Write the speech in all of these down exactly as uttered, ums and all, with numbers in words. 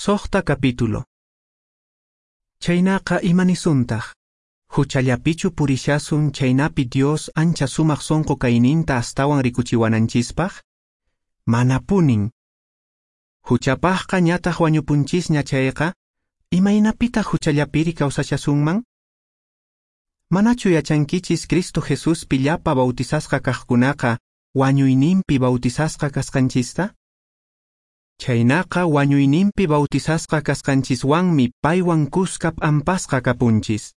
Soqta capítulo. Chaynaqa imanisuntaq, huchallapichu purishasun chaynapi Dios ancha sumaq sonqo kayninta astawan rikuchiwananchispaq? Manapunin. Huchapaqqa ñataq wañupunchisña chayqa, imaynapitaq huchallapiri kawsashasunman? Manachu yachankichis Cristo Jesuspi llapa bautizasqa kaqkunaqa wañuyninpi bautizasqa kasqanchista? Chaynaqa wañuyninpi bautizasqa kasqanchiswanmi paywan kuska p'ampasqa kapunchis.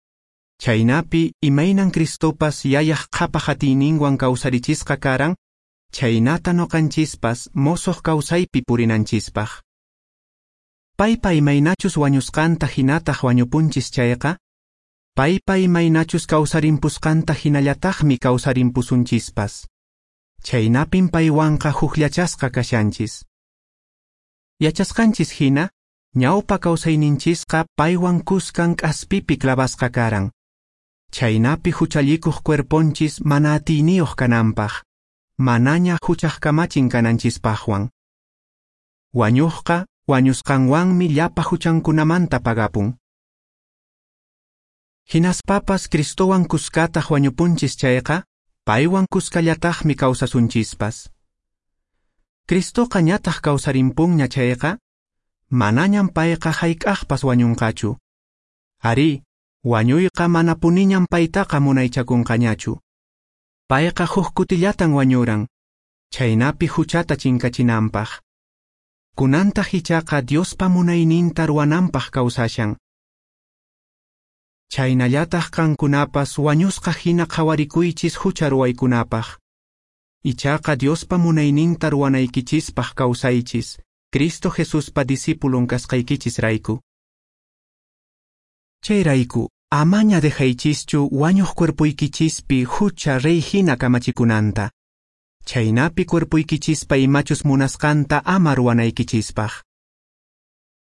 Chaynapi imaynan Cristopas yayaq qhapaq atiyninwan kawsarichisqa karan, chaynata noqanchispas mosoq kawsaypi purinanchispaq. Paypa imaynachus wañusqanta hinataq wañupunchis chayqa, paypa imaynachus kawsarimpusqanta hinallataqmi kawsarimpusunchispas. Chaynapin paywanqa hukllachasqa kashanchis. Yachasqanchis hina, ñawpa kawsayninchisqa paywan kuskan k'aspipi clavasqa karan. Chaynapi huchallikuq cuerponchis mana atiyniyuq kananpaq, manaña huchaq kamachin kananchispaqwan. Wañuqqa wañusqanwanmi llapa huchankunamanta pagapun. Hinaspapas Cristowan kuskataq wañupunchis chayqa, paywan kuskallataqmi kawsasunchispas. Cristoqa ñataq kawsarimpunña chayqa, manañam payqa hayk'aqpas wañunqachu. Arí, wañuyqa manapuniñam paytaqa munaychakunqañachu. Payqa huk kutillatan wañuran, chaynapi huchata chinkachinanpaq. Kunantaq ichaqa Diospa munayninta ruwananpaq kawsashan. Chaynallataq qankunapas wañusqa hina qhawarikuychis hucha ruwaykunapaq. Ichaqa Diospa munayninta ruwanaykichispaq kawsaychis, Cristo Jesuspa discipulon kasqaykichisrayku. Chayrayku, amaña dejaychischu wañuq cuerpoykichispi hucha rey hina kamachikunanta. Chaynapi cuerpoykichispa imachus munasqanta ama ruwanaykichispaq.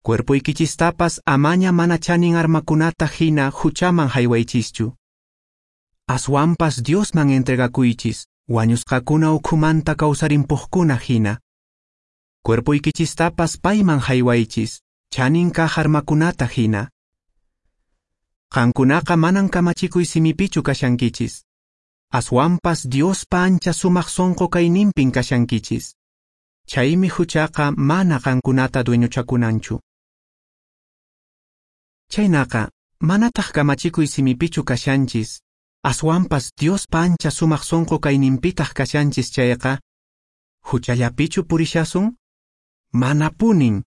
Cuerpoykichistapas amaña mana chanin armakunata hina huchaman haywaychischu. Aswanpas Diosman entregakuychis, wañusqakuna ukhumanta kawsarimpuqkuna hina. Cuerpoykichistapas payman haywaychis, chanin kaq armakunata hina. Qankunaqa manan kamachikuy simipichu kashankichis. Aswanpas Diospa ancha sumaq sonqo kayninpin kashankichis. Chaymi huchaqa mana qankunata dueñochakunanchu. Chaynaqa, manataq kamachikuy simipichu kashanchis, aswanpas Diospa ancha sumaq sonqo kayninpitaq kashanchis chayqa, huchallapichu purishasun? Manapunin.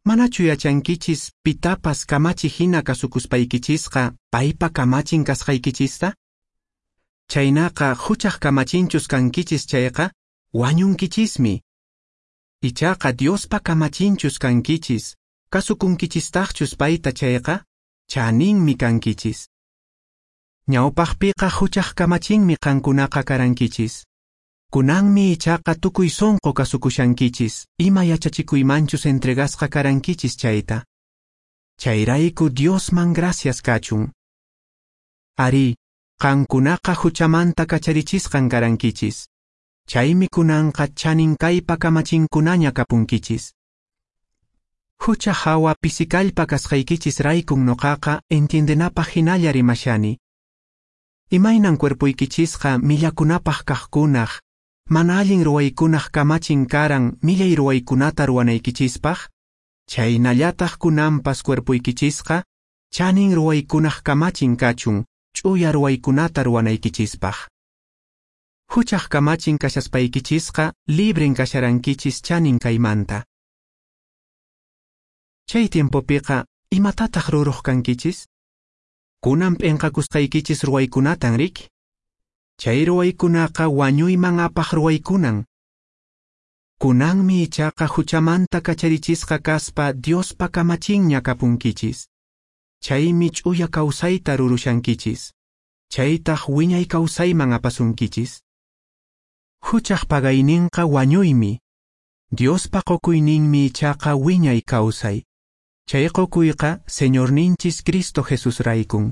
Manachu yachankichis pitapas kamachi hina kasukuspaykichisqa paypa kamachin kasqaykichista? Chaynaqa huchaq kamachinchus kankichis chayqa, wañunkichismi. Ichaqa Diospa kamachinchus kankichis, kasukunkichistaqchus payta chayqa, chaninmi kankichis. Ñawpaqpiqa huchaq kamachinmi qankunaqa karankichis. Kunanmi ichaqa tukuy sonqo kasukushankichis, ima yachachikuymanchus entregasqa karankichis chayta. Chayrayku Diosman gracias kachun. Arí, qankunaqa huchamanta kacharichisqan karankichis. Chaymi kunanqa chanin kaypa kamachinkunaña kapunkichis. Hucha hawa pisikallpa kasqaykichis raykun noqaqa entiendenapaq hinalla rimashani. Imaynan cuerpoykichisqa millakunapaq kaqkunaq, mana allin ruwaykunaq kamachin karan millay ruwaykunata ruwanaykichispaq, chaynallataq kunanpas cuerpoykichisqa chanin ruwaykunaq kamachin kachun, ch'uya ruwaykunata ruwanaykichispaq. Huchaq kamachin kashaspaykichisqa libren kasharankichis chanin kaymanta. Chay tiempopiqa imatataq ruruq kankichis? Kunan p'inqakusqaykichis ruwaykunatan riki? Chay ruwaykunaqa wañuyman apaq ruwaykunan. Kunanmi ichaqa huchamanta kacharichisqa kaspa Diospa kamachinña kapunkichis. Chaymi ch'uya kawsayta rurushankichis. Chaytaq wiñay kawsayman apasunkichis. Huchaq pagayninqa wañuymi. Diospa qukuyninmi ichaqa wiñay kawsay. Chay qukuyqa Señorninchis Cristo Jesusraykun.